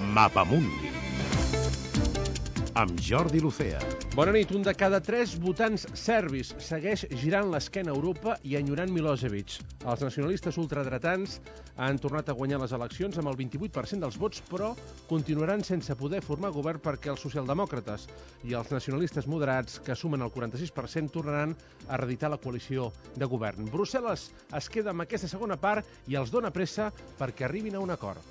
Mapamundi amb Jordi Lucea. Bona nit. Un de cada 3 votants serbis segueix girant l'esquena a Europa i enyorant Milosevic. Els nacionalistes ultradretans han tornat a guanyar les eleccions amb el 28% dels vots, però continuaran sense poder formar govern perquè els socialdemòcrates i els nacionalistes moderats, que sumen el 46%, tornaran a reeditar la coalició de govern. Brussel·les es queda amb aquesta segona part i els dona pressa perquè arribin a un acord.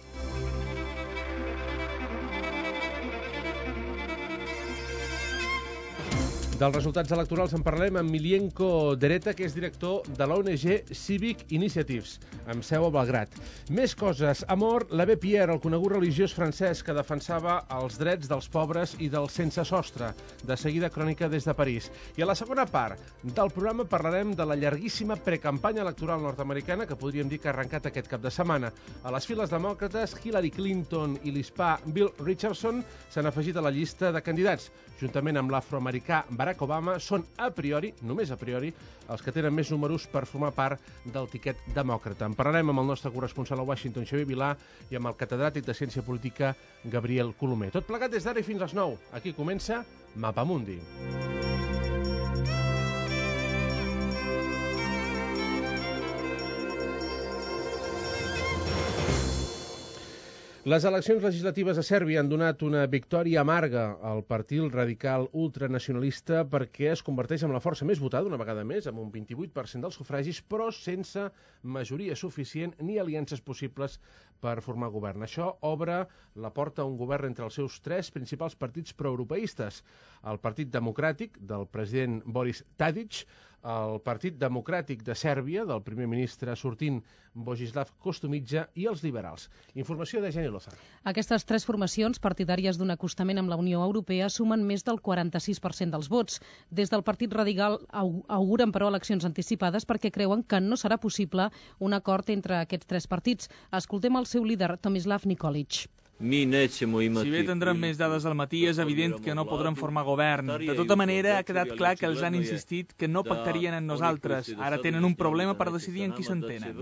Dels resultats electorals en parlem amb Miljenko Dereta, que és director de l'ONG Civic Initiatives, amb seu a Belgrad. Més coses. Ha mort l'abbé Pierre, el conegut religiós francès que defensava els drets dels pobres i dels sense sostre. De seguida, crònica des de París. I a la segona part del programa parlarem de la llarguíssima precampanya electoral nord-americana que podríem dir que ha arrencat aquest cap de setmana. A les files demòcrates, Hillary Clinton i l'hispà Bill Richardson s'han afegit a la llista de candidats. Juntament amb l'afroamericà Barack Obama, són a priori, només a priori, els que tenen més números per formar part del tiquet demòcrata. En parlarem amb el nostre corresponsal a Washington, Xavier Vilà, i amb el catedràtic de Ciència Política, Gabriel Colomer. Tot plegat des d'ara i fins les 9. Aquí comença Mapamundi. Les eleccions legislatives a Sèrbia han donat una victòria amarga al partit radical ultranacionalista perquè es converteix en la força més votada, una vegada més, amb un 28% dels sufragis, però sense majoria suficient ni aliances possibles per formar govern. Això obre la porta a un govern entre els seus 3 principals partits proeuropeistes: el Partit Democràtic del president Boris Tadic, el Partit Democràtic de Sèrbia del primer ministre sortint Vojislav Koštunica i els liberals. Informació de Jenny Lozano. Aquestes 3 formacions partidàries d'un acostament amb la Unió Europea sumen més del 46% dels vots. Des del Partit Radical auguren, però, eleccions anticipades perquè creuen que no serà possible un acord entre aquests 3 partits. Escoltem el seu líder, Tomislav Nikolic. Si bé tindrem més dades al matí, és evident que no podrem formar govern. De tota manera, ha quedat clar que els han insistit que no pactarien amb nosaltres. Ara tenen un problema per decidir en qui s'entenen.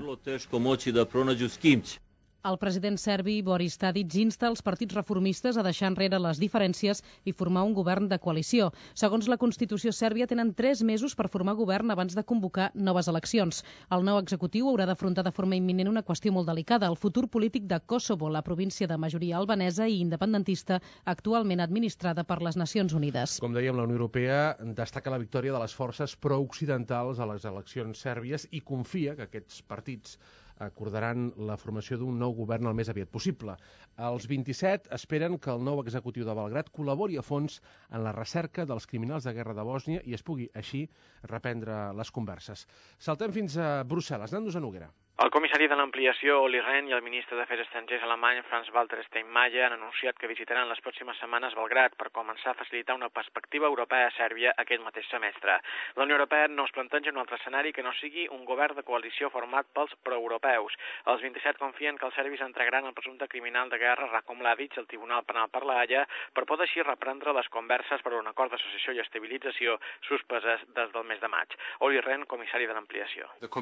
El president serbi Boris Tadic insta els partits reformistes a deixar enrere les diferències i formar un govern de coalició. Segons la Constitució sèrbia, tenen 3 mesos per formar govern abans de convocar noves eleccions. El nou executiu haurà d'afrontar de forma imminent una qüestió molt delicada: el futur polític de Kosovo, la província de majoria albanesa i independentista, actualment administrada per les Nacions Unides. Com dèiem, la Unió Europea destaca la victòria de les forces prooccidentals a les eleccions sèrbies i confia que aquests partits acordaran la formació d'un nou govern el més aviat possible. Els 27 esperen que el nou executiu de Belgrad col·labori a fons en la recerca dels criminals de guerra de Bòsnia i es pugui així reprendre les converses. Saltem fins a Brussel·les. Anant-nos a Noguera. El comissari de l'ampliació, Olli Rehn, i el ministre d'Afers Estrangers alemany, Frank-Walter Steinmeier, han anunciat que visitaran les pròximes setmanes Belgrad per començar a facilitar una perspectiva europea a Sèrbia aquest mateix semestre. La Unió Europea no es planteja un altre escenari que no sigui un govern de coalició format pels proeuropeus. Els 27 confien que els serbis entregaran el presumpte criminal de guerra Ratko Mladic al Tribunal Penal per la Haia per poder així reprendre les converses per un acord d'associació i estabilització suspeses des del mes de maig. Olli Rehn, comissari de l'ampliació. La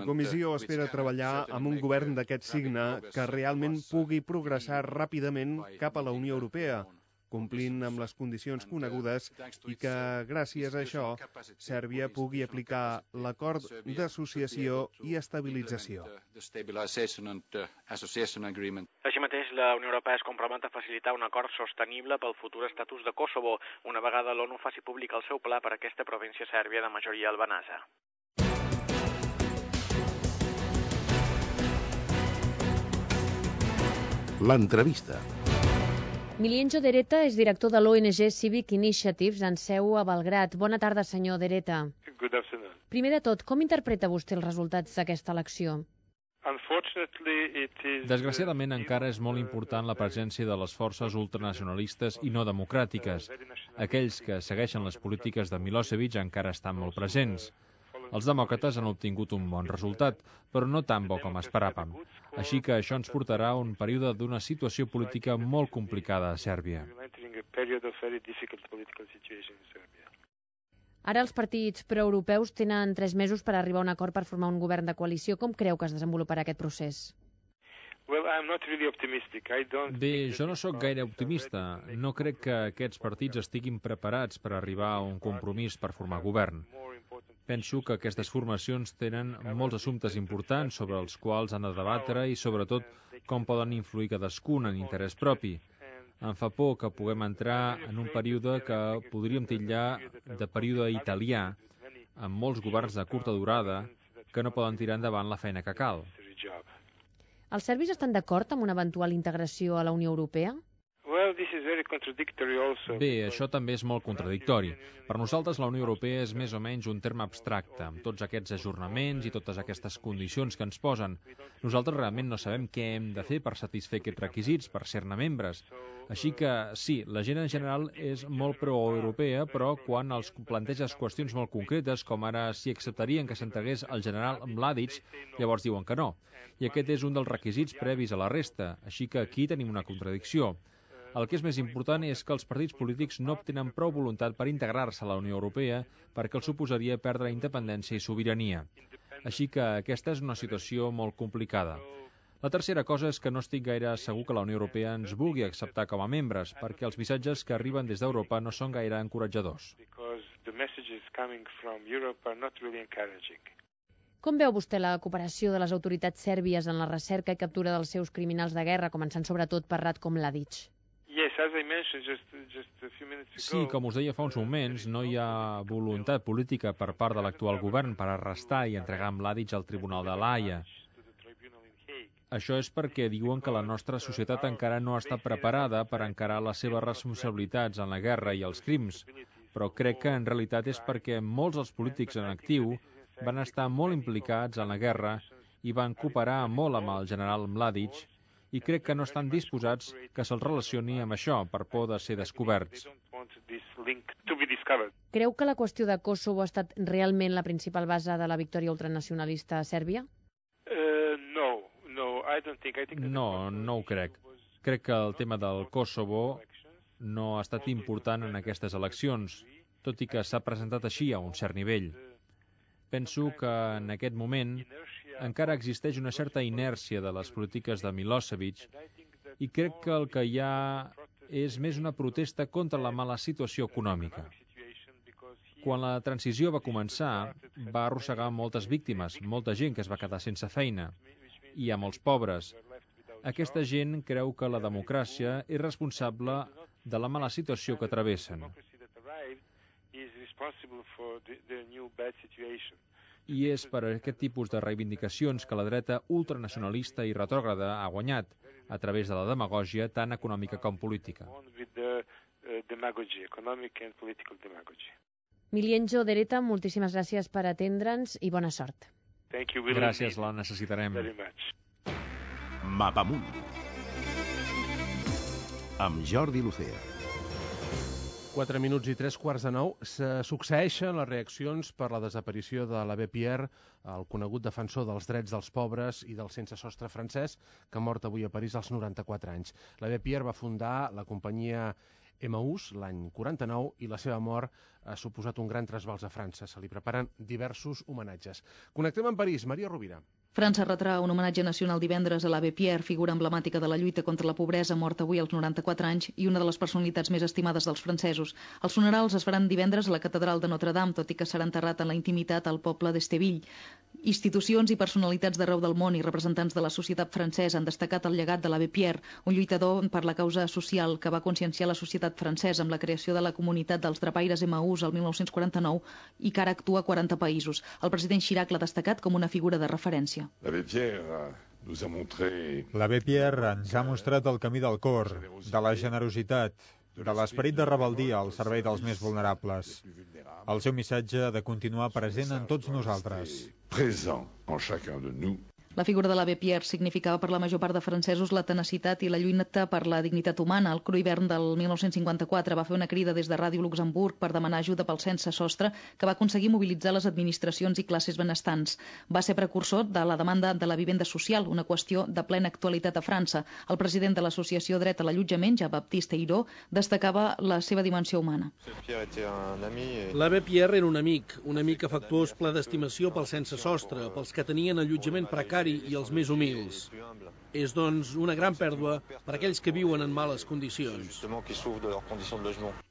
comissió espera treballar amb un govern d'aquest signe que realment pugui progressar ràpidament cap a la Unió Europea, complint amb les condicions conegudes i que, gràcies a això, Sèrbia pugui aplicar l'acord d'associació i estabilització. Així mateix, la Unió Europea es compromet a facilitar un acord sostenible pel futur estatus de Kosovo, una vegada l'ONU faci públic el seu pla per a aquesta província sèrbia de majoria albanesa. L'entrevista. Miljenko Dereta és director de l'ONG Civic Initiatives en seu a Belgrad. Bona tarda, senyor Dereta. Good afternoon. Primer de tot, com interpreta vostè els resultats d'aquesta elecció? Desgraciadament, encara és molt important la presència de les forces ultranacionalistes i no democràtiques. Aquells que segueixen les polítiques de Milosevic encara estan molt presents. Els demòcrates han obtingut un bon resultat, però no tan bo com esperàvem. Així que això ens portarà a un període d'una situació política molt complicada a Sèrbia. Ara els partits proeuropeus tenen 3 mesos per arribar a un acord per formar un govern de coalició. Com creu que es desenvoluparà aquest procés? Bé, jo no sóc gaire optimista. No crec que aquests partits estiguin preparats per arribar a un compromís per formar govern. Penso que aquestes formacions tenen molts assumptes importants sobre els quals han de debatre i, sobretot, com poden influir cadascun en interès propi. Em fa por que puguem entrar en un període que podríem titllar de període italià, amb molts governs de curta durada que no poden tirar endavant la feina que cal. Els serbis estan d'acord amb una eventual integració a la Unió Europea? Bé, això també és molt contradictori. Per nosaltres la Unió Europea és més o menys un terme abstracte, amb tots aquests ajornaments i totes aquestes condicions que ens posen. Nosaltres realment no sabem què hem de fer per satisfer aquests requisits, per ser-ne membres. Així que, sí, la gent en general és molt pro-europea, però quan els planteges qüestions molt concretes, com ara si acceptarien que s'entregués el general Mladic, llavors diuen que no. I aquest és un dels requisits previs a la resta, així que aquí tenim una contradicció. El que és més important és que els partits polítics no obtenen prou voluntat per integrar-se a la Unió Europea perquè els suposaria perdre independència i sobirania. Així que aquesta és una situació molt complicada. La tercera cosa és que no estic gaire segur que la Unió Europea ens vulgui acceptar com a membres, perquè els missatges que arriben des d'Europa no són gaire encoratjadors. Com veu vostè la cooperació de les autoritats sèrbies en la recerca i captura dels seus criminals de guerra, començant sobretot per Ratko Mladic? Sí, com us deia fa uns moments, no hi ha voluntat política per part de l'actual govern per arrestar i entregar Mladic al Tribunal de l'Haia. Això és perquè diuen que la nostra societat encara no està preparada per encarar les seves responsabilitats en la guerra i els crims, però crec que en realitat és perquè molts dels polítics en actiu van estar molt implicats en la guerra i van cooperar molt amb el general Mladic i crec que no estan disposats que se'ls relacioni amb això per por de ser descoberts. Creu que la qüestió de Kosovo ha estat realment la principal base de la victòria ultranacionalista a Sèrbia? No, no ho crec. Crec que el tema del Kosovo no ha estat important en aquestes eleccions, tot i que s'ha presentat així a un cert nivell. Penso que en aquest moment encara existeix una certa inèrcia de les polítiques de Milosevic i crec que el que hi ha és més una protesta contra la mala situació econòmica. Quan la transició va començar, va arrossegar moltes víctimes, molta gent que es va quedar sense feina, i a molts pobres. Aquesta gent creu que la democràcia és responsable de la mala situació que travessen. I és per aquest tipus de reivindicacions que la dreta ultranacionalista i retrògrada ha guanyat, a través de la demagògia tant econòmica com política. Milienjo Dereta, moltíssimes gràcies per atendre'ns i bona sort. Gràcies, la necessitarem. Mapamundi amb Jordi Lucea. 4 minuts i 3:15 se succeeixen les reaccions per la desaparició de l'abbé Pierre, el conegut defensor dels drets dels pobres i del sense sostre francès, que ha mort avui a París als 94 anys. L'abbé Pierre va fundar la companyia Emmaüs l'any 49 i la seva mort ha suposat un gran trasbals a França. Se li preparen diversos homenatges. Connectem amb París. Maria Rovira. França retrà un homenatge nacional divendres a l'abbé Pierre, figura emblemàtica de la lluita contra la pobresa, mort avui als 94 anys i una de les personalitats més estimades dels francesos. Els funerals es faran divendres a la catedral de Notre-Dame, tot i que serà enterrat en la intimitat al poble d'Esteville. Institucions i personalitats d'arreu del món i representants de la societat francesa han destacat el llegat de l'abbé Pierre, un lluitador per la causa social que va conscienciar la societat francesa amb la creació de la comunitat dels drapaires Emmaüs el 1949 i que ara actua a 40 països. El president Chirac l'ha destacat com una figura de referència. L'abbé Pierre ens ha mostrat el camí del cor, de la generositat, de l'esperit de rebeldia al servei dels més vulnerables. El seu missatge ha de continuar present en tots nosaltres. La figura de l'abbé Pierre significava per la major part de francesos la tenacitat i la lluita per la dignitat humana. El cru hivern del 1954 va fer una crida des de Ràdio Luxemburg per demanar ajuda pel sense sostre que va aconseguir mobilitzar les administracions i classes benestants. Va ser precursor de la demanda de la vivenda social, una qüestió de plena actualitat a França. El president de l'associació Dret a l'Allotjament, Jean-Baptiste Ayrault, destacava la seva dimensió humana. L'abbé Pierre era un amic afectuós ple d'estimació pels sense sostre, pels que tenien allotjament precari usuari i els més humils. És, doncs, una gran pèrdua per a aquells que viuen en males condicions.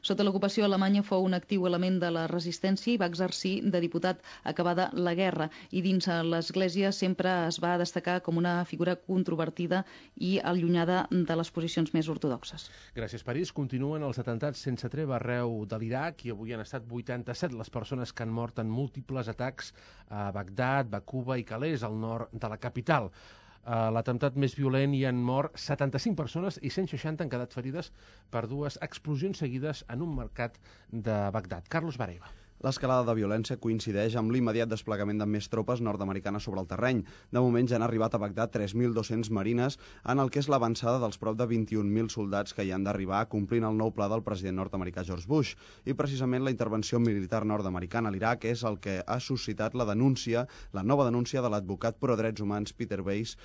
Sota l'ocupació, Alemanya fou un actiu element de la resistència i va exercir de diputat acabada la guerra. I dins l'Església sempre es va destacar com una figura controvertida i allunyada de les posicions més ortodoxes. Gràcies, París. Continuen els atemptats sense treva arreu de l'Iraq i avui han estat 87 les persones que han mort en múltiples atacs a Bagdad, Bakuba i Calais, al nord de la capital. A l'atemptat més violent hi han mort 75 persones i 160 han quedat ferides per dues explosions seguides en un mercat de Bagdad. Carlos Varela. L'escalada de violència coincideix amb l'immediat desplegament de més tropes nord-americanes sobre el terreny. De moment ja han arribat a Bagdad 3.200 marines en el que és l'avançada dels prop de 21.000 soldats que hi han d'arribar complint el nou pla del president nord-americà George Bush. I precisament la intervenció militar nord-americana a l'Iraq és el que ha suscitat la nova denúncia de l'advocat pro-drets humans Peter Bass,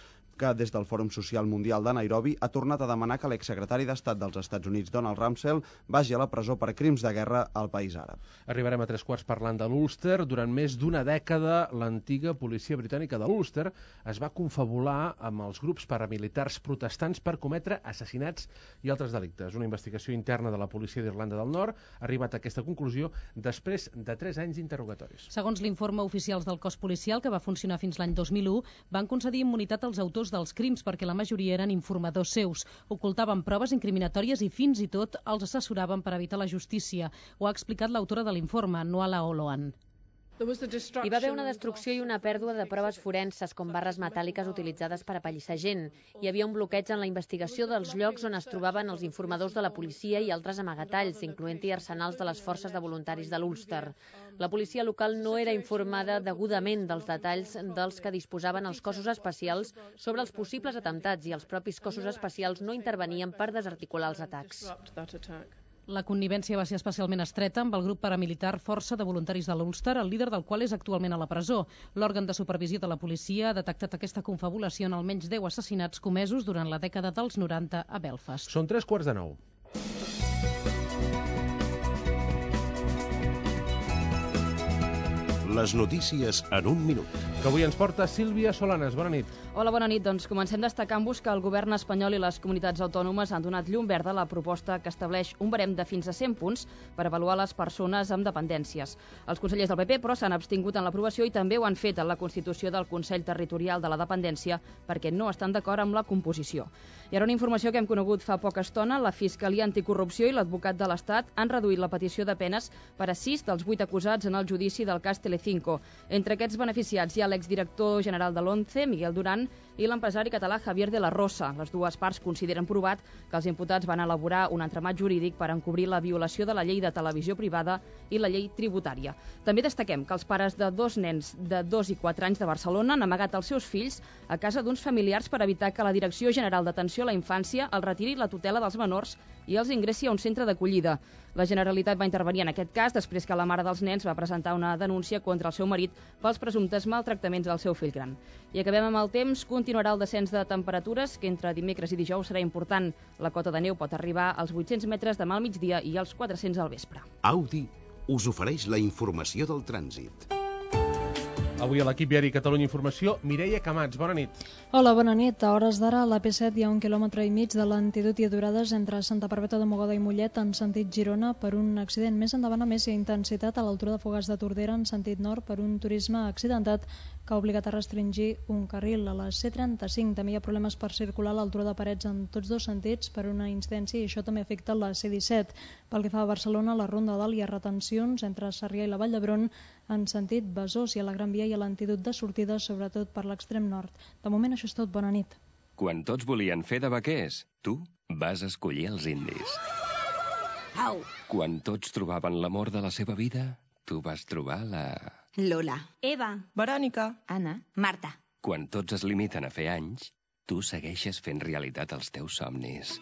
que des del Fòrum Social Mundial de Nairobi ha tornat a demanar que l'exsecretari d'Estat dels Estats Units, Donald Rumsfeld, vagi a la presó per crims de guerra al país àrab. Arribarem a 3/4 parlant de l'Ulster. Durant més d'una dècada, l'antiga policia britànica de l'Ulster es va confabular amb els grups paramilitars protestants per cometre assassinats i altres delictes. Una investigació interna de la policia d'Irlanda del Nord ha arribat a aquesta conclusió després de 3 anys d'interrogatoris. Segons l'informe oficials del cos policial, que va funcionar fins l'any 2001, van concedir immunitat als autors dels crims perquè la majoria eren informadors seus. Ocultaven proves incriminatòries i fins i tot els assessoraven per evitar la justícia. Ho ha explicat l'autora de l'informe, Nuala Oloan. Hi va haver una destrucció i una pèrdua de proves forenses, com barres metàl·liques utilitzades per apallissar gent. Hi havia un bloqueig en la investigació dels llocs on es trobaven els informadors de la policia i altres amagatalls, incloent-hi arsenals de les forces de voluntaris de l'Ulster. La policia local no era informada degudament dels detalls dels que disposaven els cossos especials sobre els possibles atemptats i els propis cossos especials no intervenien per desarticular els atacs. La connivència va ser especialment estreta amb el grup paramilitar Força de Voluntaris de l'Ulster, el líder del qual és actualment a la presó. L'òrgan de supervisió de la policia ha detectat aquesta confabulació en almenys 10 assassinats comesos durant la dècada dels 90 a Belfast. Són 8:45. Les notícies en un minut. Que avui ens porta Sílvia Solanes. Bona nit. Hola, bona nit. Doncs comencem destacant-vos que el govern espanyol i les comunitats autònomes han donat llum verda a la proposta que estableix un barem de fins a 100 punts per avaluar les persones amb dependències. Els consellers del PP, però, s'han abstingut en l'aprovació i també ho han fet en la constitució del Consell Territorial de la Dependència perquè no estan d'acord amb la composició. I ara una informació que hem conegut fa poca estona. La Fiscalia Anticorrupció i l'advocat de l'Estat han reduït la petició de penes per a 6 dels 8 acusats en el judici del cas Telecinco. Entre aquests beneficiats hi ha l'exdirector general de l'ONCE, Miguel Duran, i l'empresari català Javier de la Rosa. Les dues parts consideren provat que els imputats van elaborar un entramat jurídic per encobrir la violació de la llei de televisió privada i la llei tributària. També destaquem que els pares de 2 nens de 2 i 4 anys de Barcelona han amagat els seus fills a casa d'uns familiars per evitar que la Direcció General d'Atenció a la Infància els retiri la tutela dels menors i els ingressi a un centre d'acollida. La Generalitat va intervenir en aquest cas després que la mare dels nens va presentar una denúncia contra el seu marit pels presumptes maltractaments del seu fill gran. I acabem amb el temps. Continuarà el descens de temperatures, que entre dimecres i dijous serà important. La cota de neu pot arribar als 800 metres demà al migdia i als 400 al vespre. Audi us ofereix la informació del trànsit. Avui a l'equip diari Catalunya Informació, Mireia Camats. Bona nit. Hola, bona nit. A hores d'ara, a la P7 hi ha 1,5 quilòmetres de lentitud i aturades entre Santa Perpètua de Mogoda i Mollet en sentit Girona per un accident. Més endavant, a més, hi ha intensitat a l'altura de Fogars de Tordera en sentit nord per un turisme accidentat que ha obligat a restringir un carril. A la C35 també hi ha problemes per circular a l'altura de Parets en tots dos sentits per una incidència i això també afecta la C17. Pel que fa a Barcelona, a la Ronda Dalt hi ha retencions entre Sarrià i la Vall d'Hebron en sentit Besòs i a la Gran Via i a l'antídot de sortida, sobretot per l'extrem nord. De moment això és tot. Bona nit. Quan tots volien fer de vaquers, tu vas escollir els indis. Au! Quan tots trobaven l'amor de la seva vida, tu vas trobar la... Lola. Eva. Verònica. Anna. Marta. Quan tots es limiten a fer anys, tu segueixes fent realitat els teus somnis.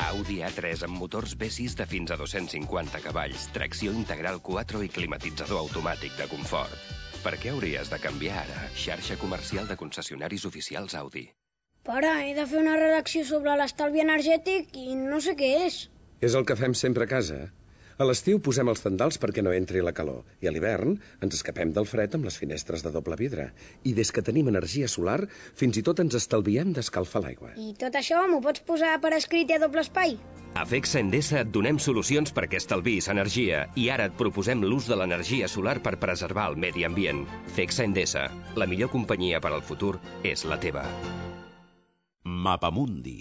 Audi A3 amb motors V6 de fins a 250 cavalls, tracció integral 4 i climatitzador automàtic de confort. Per què hauries de canviar ara? Xarxa comercial de concessionaris oficials Audi. Pare, he de fer una redacció sobre l'estalvi energètic i no sé què és. És el que fem sempre a casa. A l'estiu posem els tendals perquè no entri la calor i a l'hivern ens escapem del fred amb les finestres de doble vidre. I des que tenim energia solar, fins i tot ens estalviem d'escalfar l'aigua. I tot això m'ho pots posar per escrit i a doble espai? A FECSA Endesa et donem solucions perquè estalviïs energia i ara et proposem l'ús de l'energia solar per preservar el medi ambient. FECSA Endesa, la millor companyia per al futur és la teva. Mapamundi,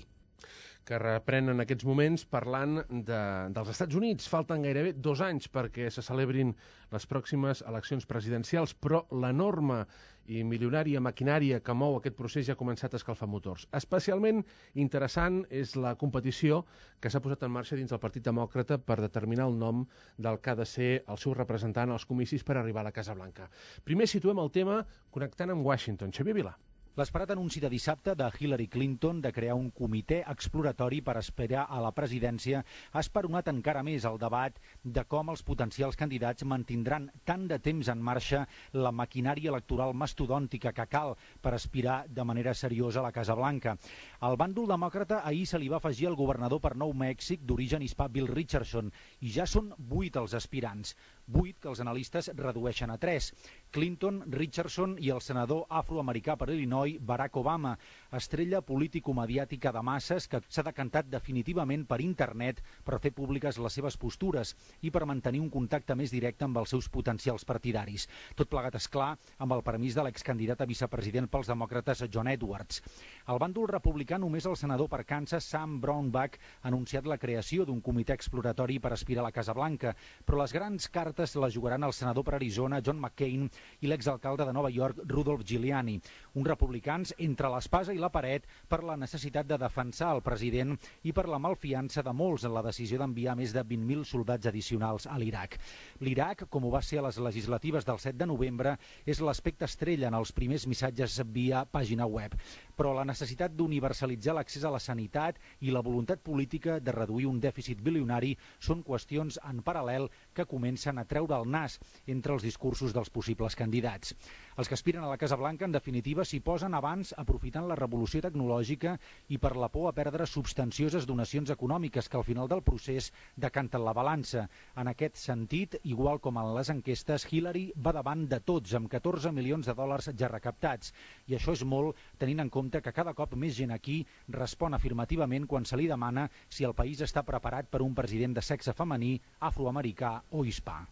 que reprenen en aquests moments parlant dels Estats Units. Falten gairebé 2 anys perquè se celebrin les pròximes eleccions presidencials, però l'enorme i milionària maquinària que mou aquest procés ja ha començat a escalfar motors. Especialment interessant és la competició que s'ha posat en marxa dins del Partit Demòcrata per determinar el nom del que ha de ser el seu representant als comicis per arribar a la Casa Blanca. Primer situem el tema connectant amb Washington. Xavier Vilà. L'esperat anunci de dissabte de Hillary Clinton de crear un comitè exploratori per aspirar a la presidència ha esperonat encara més el debat de com els potencials candidats mantindran tant de temps en marxa la maquinària electoral mastodòntica que cal per aspirar de manera seriosa a la Casa Blanca. Al bàndol demòcrata ahir se li va afegir el governador per Nou Mèxic d'origen hispà Bill Richardson i ja són 8 els aspirants, 8 que els analistes redueixen a 3. Clinton, Richardson i el senador afroamericà per Illinois Barack Obama, estrella político-mediàtica de masses que s'ha decantat definitivament per internet per fer públiques les seves postures i per mantenir un contacte més directe amb els seus potencials partidaris. Tot plegat, esclar, amb el permís de l'excandidat a vicepresident pels demòcrates John Edwards. Al bàndol republicà, només el senador per Kansas Sam Brownback ha anunciat la creació d'un comitè exploratori per aspirar a la Casa Blanca, però les grans cartes les jugaran el senador per Arizona John McCain i l'exalcalde de Nova York Rudolph Giuliani, un republicans entre l'espasa i la paret per la necessitat de defensar el president i per la malfiança de molts en la decisió d'enviar més de 20.000 soldats addicionals a l'Iraq. L'Iraq, com ho va ser a les legislatives del 7 de novembre, és l'aspecte estrella en els primers missatges via pàgina web, però la necessitat d'universalitzar l'accés a la sanitat i la voluntat política de reduir un dèficit bilionari són qüestions en paral·lel que comencen a treure el nas entre els discursos dels possibles candidats. Els que aspiren a la Casa Blanca, en definitiva, s'hi posen abans aprofitant la revolució tecnològica i per la por a perdre substancioses donacions econòmiques que al final del procés decanten la balança. En aquest sentit, igual com en les enquestes, Hillary va davant de tots amb 14 milions de dòlars ja recaptats. I això és molt tenint en compte que cada cop més gent aquí respon afirmativament quan se li demana si el país està preparat per un president de sexe femení, afroamericà o hispà.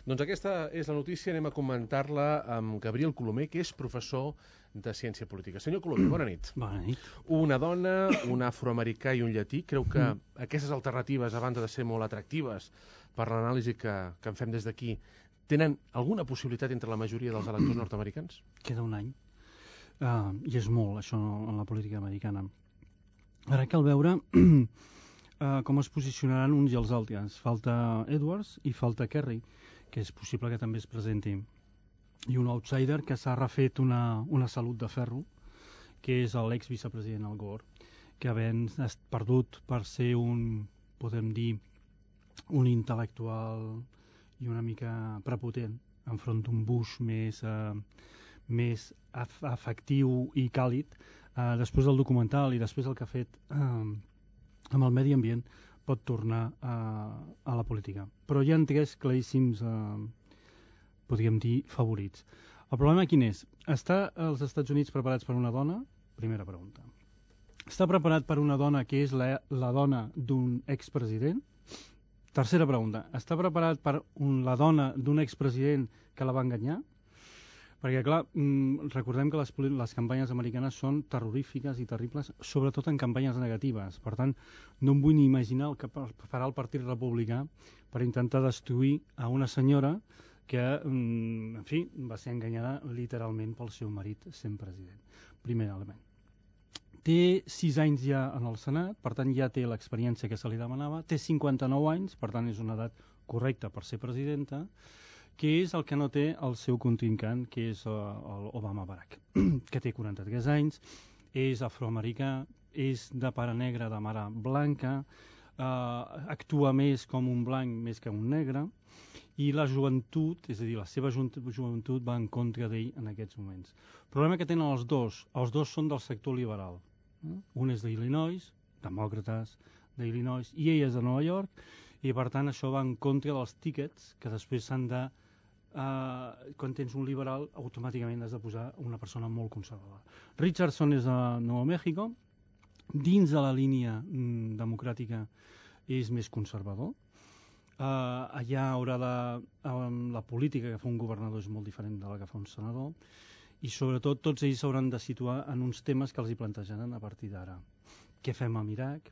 Doncs aquesta és la notícia, anem a comentar-la amb Gabriel Colomer, que és professor de Ciència Política. Senyor Colomer, bona nit. Bona nit. Una dona, un afroamericà i un llatí. Creu que aquestes alternatives, a banda de ser molt atractives per l'anàlisi que en fem des d'aquí, tenen alguna possibilitat entre la majoria dels electors nord-americans? Queda un any. I és molt, això, en la política americana. Ara cal veure com es posicionaran uns i els altres. Falta Edwards i falta Kerry, que és possible que també es presenti. I un outsider que s'ha refet una salut de ferro, que és l'ex-vicepresident Al Gore, que havent perdut per ser podem dir, un intel·lectual i una mica prepotent enfront d'un Bush més afectiu i càlid, després del documental i després el que ha fet amb el medi ambient, pot tornar a la política. Però hi ha 3 claríssims, podríem dir, favorits. El problema quin és? Està als Estats Units preparats per una dona? Primera pregunta. Està preparat per una dona que és la dona d'un expresident? Tercera pregunta. Està preparat per la dona d'un expresident que la va enganyar? Perquè, clar, recordem que les campanyes americanes són terrorífiques i terribles, sobretot en campanyes negatives. Per tant, no em vull ni imaginar el que farà el Partit Republicà per intentar destruir a una senyora que, en fi, va ser enganyada literalment pel seu marit sent president. Primer element. Té 6 anys ja en el Senat, per tant ja té l'experiència que se li demanava, té 59 anys, per tant és una edat correcta per ser presidenta, que és el que no té el seu contrincant, que és l'Obama Barack, que té 43 anys, és afroamericà, és de pare negre, de mare blanca, actua més com un blanc més que un negre, i la joventut, és a dir, la seva joventut va en contra d'ell en aquests moments. El problema que tenen els dos són del sector liberal. Un és d'Illinois, demòcrates d'Illinois, i ell és de Nova York, I per tant això va en contra dels tíquets que després s'han de... quan tens un liberal automàticament has de posar una persona molt conservadora. Richardson és de Nou Mèxico, dins de la línia democràtica és més conservador. Allà haurà la política que fa un governador és molt diferent de la que fa un senador, i sobretot tots ells s'hauran de situar en uns temes que els hi plantejaran a partir d'ara. Què fem amb Iraq?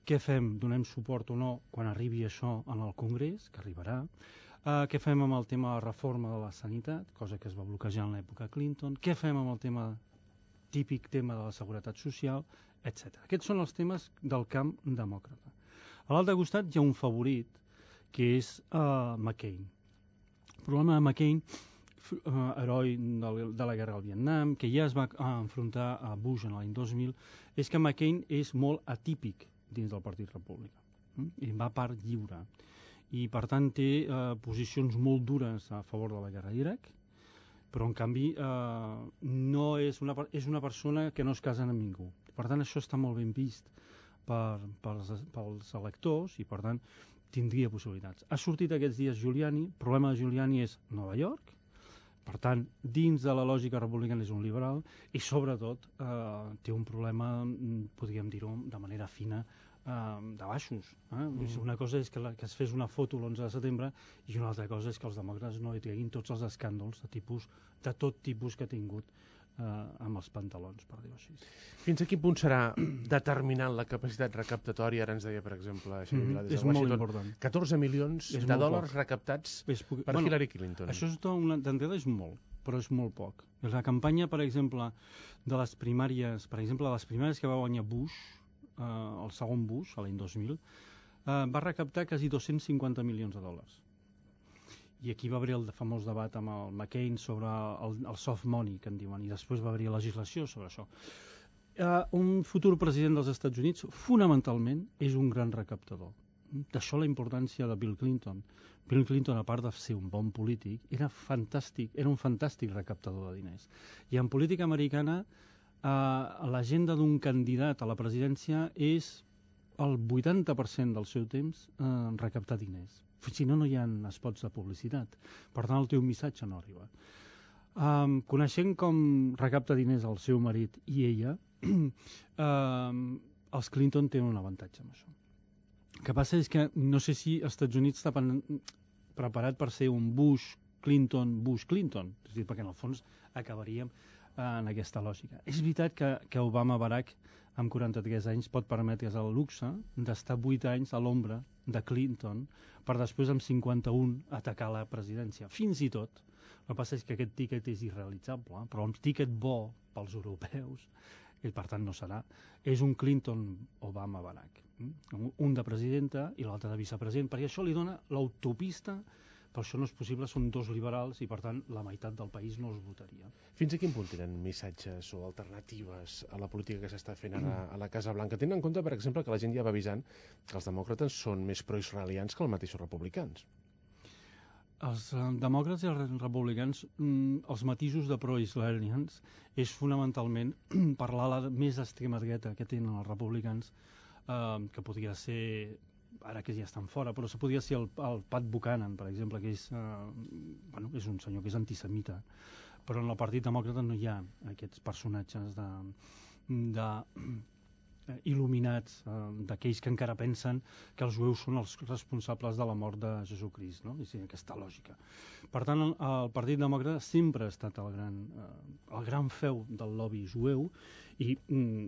Què fem? Donem suport o no quan arribi això en el Congrés, que arribarà? Què fem amb el tema de la reforma de la sanitat, cosa que es va bloquejar en l'època Clinton? Què fem amb el típic tema de la seguretat social, etc. Aquests són els temes del camp demòcrata. A l'altre costat hi ha un favorit, que és McCain. El problema de McCain, heroi de la guerra al Vietnam, que ja es va enfrontar a Bush en l'any 2000, és que McCain és molt atípic dins del Partit Republicà. I va part lliure. I per tant té posicions molt dures a favor de la guerra d'Iraq, però en canvi és una persona que no es casa amb ningú. Per tant això està molt ben vist pels electors i per tant tindria possibilitats. Ha sortit aquests dies Giuliani. El problema de Giuliani és Nova York, per tant dins de la lògica republicana és un liberal i sobretot té un problema, podríem dir-ho de manera fina, de baixos. Una cosa és que es fes una foto l'11 de setembre i una altra cosa és que els demòcrates no hi treguin tots els escàndols de tot tipus que ha tingut amb els pantalons, per dir-ho així. Fins a quin punt serà determinant la capacitat recaptatòria? Ara ens deia, per exemple, és molt important. 14 milions de dòlars recaptats per Hillary Clinton. Això d'entrada és molt, però és molt poc. La campanya, per exemple, de les primàries, que va guanyar Bush, el segon Bush, l'any 2000, va recaptar quasi 250 milions de dòlars. I aquí va haver el famós debat amb el McCain sobre el soft money, que en diuen, i després va haver legislació sobre això. Un futur president dels Estats Units, fonamentalment, és un gran recaptador. D'això la importància de Bill Clinton. Bill Clinton, a part de ser un bon polític, era un fantàstic recaptador de diners. I en política americana, l'agenda d'un candidat a la presidència és el 80% del seu temps recaptar diners. Si no, no hi ha spots de publicitat. Per tant, el teu missatge no arriba. Coneixent com recapta diners el seu marit i ella, els Clinton tenen un avantatge amb això. El que passa és que no sé si els Estats Units està preparat per ser un Bush-Clinton, és a dir, perquè en el fons acabaríem en aquesta lògica. És veritat que Obama-Barack, amb 43 anys, pot permetre's el luxe d'estar 8 anys a l'ombra de Clinton per després, amb 51, atacar la presidència. Fins i tot, el que passa és que aquest tíquet és irrealitzable, però un tíquet bo pels europeus, i per tant no serà, és un Clinton-Obama-Barack. Un de presidenta i l'altre de vicepresident, perquè això li dona l'autopista. Per això no és possible, són dos liberals i per tant la meitat del país no els votaria. Fins a quin punt tenen missatges o alternatives a la política que s'està fent ara a la Casa Blanca? Tenint en compte, per exemple, que la gent ja va avisant que els demòcrates són més proisraelians que els mateixos republicans. Els demòcrates i els republicans, els matisos de proisraelians és fonamentalment parlar més extrema dreta que tenen els republicans, que podria ser, ara que ja estan fora, però se podria ser el Pat Buchanan, per exemple, que és un senyor que és antisemita, però en el Partit Demòcrata no hi ha aquests personatges il·luminats, d'aquells que encara pensen que els jueus són els responsables de la mort de Jesucrist, no? És aquesta lògica. Per tant, el Partit Demòcrata sempre ha estat el gran feu del lobby jueu i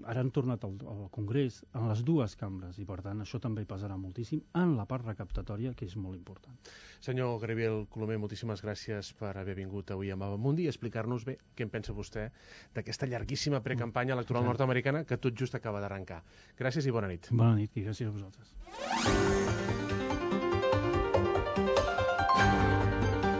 ara han tornat al Congrés en les dues cambres i per tant això també pesarà moltíssim en la part recaptatòria, que és molt important. Senyor Gabriel Colomer, moltíssimes gràcies per haver vingut avui a Mabamundi i explicar-nos bé què en pensa vostè d'aquesta llarguíssima precampanya electoral nord-americana que tot just acaba d'arrencar. Gràcies i bona nit. Bona nit i gràcies a vosaltres.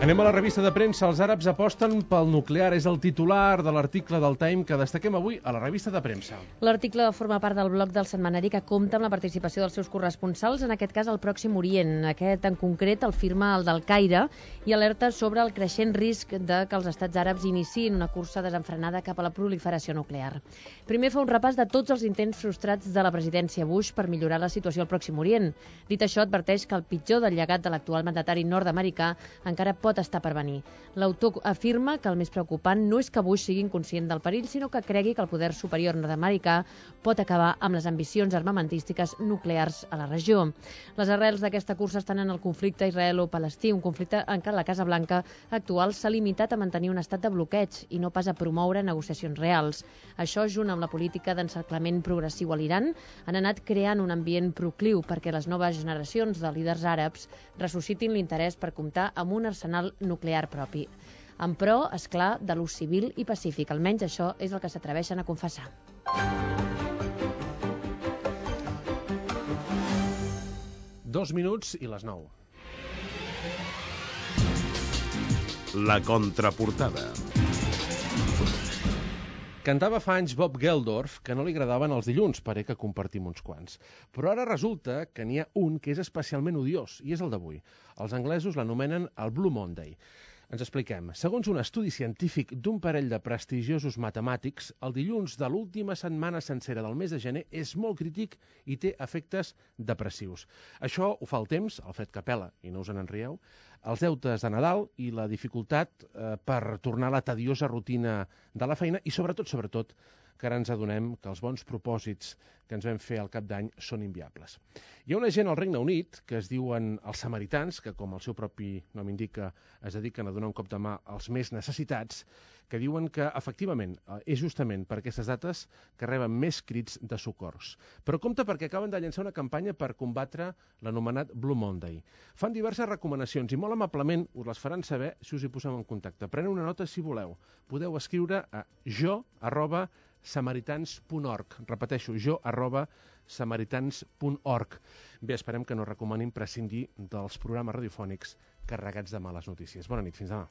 Anem a la revista de premsa. Els àrabs aposten pel nuclear. És el titular de l'article del Time que destaquem avui a la revista de premsa. L'article forma part del bloc del setmanari que compta amb la participació dels seus corresponsals, en aquest cas al Pròxim Orient. Aquest, en concret, el firma el del Caire i alerta sobre el creixent risc de que els estats àrabs iniciïn una cursa desenfrenada cap a la proliferació nuclear. Primer fa un repàs de tots els intents frustrats de la presidència Bush per millorar la situació al Pròxim Orient. Dit això, adverteix que el pitjor del llegat de l'actual mandatari nord-americà encara pot estar per venir. L'autor afirma que el més preocupant no és que Bush sigui inconscient del perill, sinó que cregui que el poder superior nord-americà pot acabar amb les ambicions armamentístiques nuclears a la regió. Les arrels d'aquesta cursa estan en el conflicte israelo-palestí, un conflicte en què la Casa Blanca actual s'ha limitat a mantenir un estat de bloqueig i no pas a promoure negociacions reals. Això, junt amb la política d'encerclament progressiu a l'Iran, han anat creant un ambient procliu perquè les noves generacions de líders àrabs ressuscitin l'interès per comptar amb un arsenal nuclear propi. En pro, esclar, de l'ús civil i pacífic. Almenys això és el que s'atreveixen a confessar. Dos minuts i les 9. La contraportada. Cantava fa anys Bob Geldof que no li agradaven els dilluns, pare que compartim uns quants. Però ara resulta que n'hi ha un que és especialment odiós, i és el d'avui. Els anglesos l'anomenen el Blue Monday. Ens expliquem. Segons un estudi científic d'un parell de prestigiosos matemàtics, el dilluns de l'última setmana sencera del mes de gener és molt crític i té efectes depressius. Això ho fa el temps, el fred que pela, i no us en enrieu, els deutes de Nadal i la dificultat per tornar a la tediosa rutina de la feina i, sobretot, que ara ens adonem que els bons propòsits que ens vam fer al cap d'any són inviables. Hi ha una gent al Regne Unit que es diuen els samaritans, que com el seu propi nom indica es dediquen a donar un cop de mà als més necessitats, que diuen que efectivament és justament per aquestes dates que reben més crits de socors. Però compte perquè acaben de llançar una campanya per combatre l'anomenat Blue Monday. Fan diverses recomanacions i molt amablement us les faran saber si us hi posem en contacte. Preneu una nota si voleu. Podeu escriure a jo@samaritans.org. Repeteixo, jo@samaritans.org. Bé, esperem que no recomanin prescindir dels programes radiofònics carregats de males notícies. Bona nit, fins demà.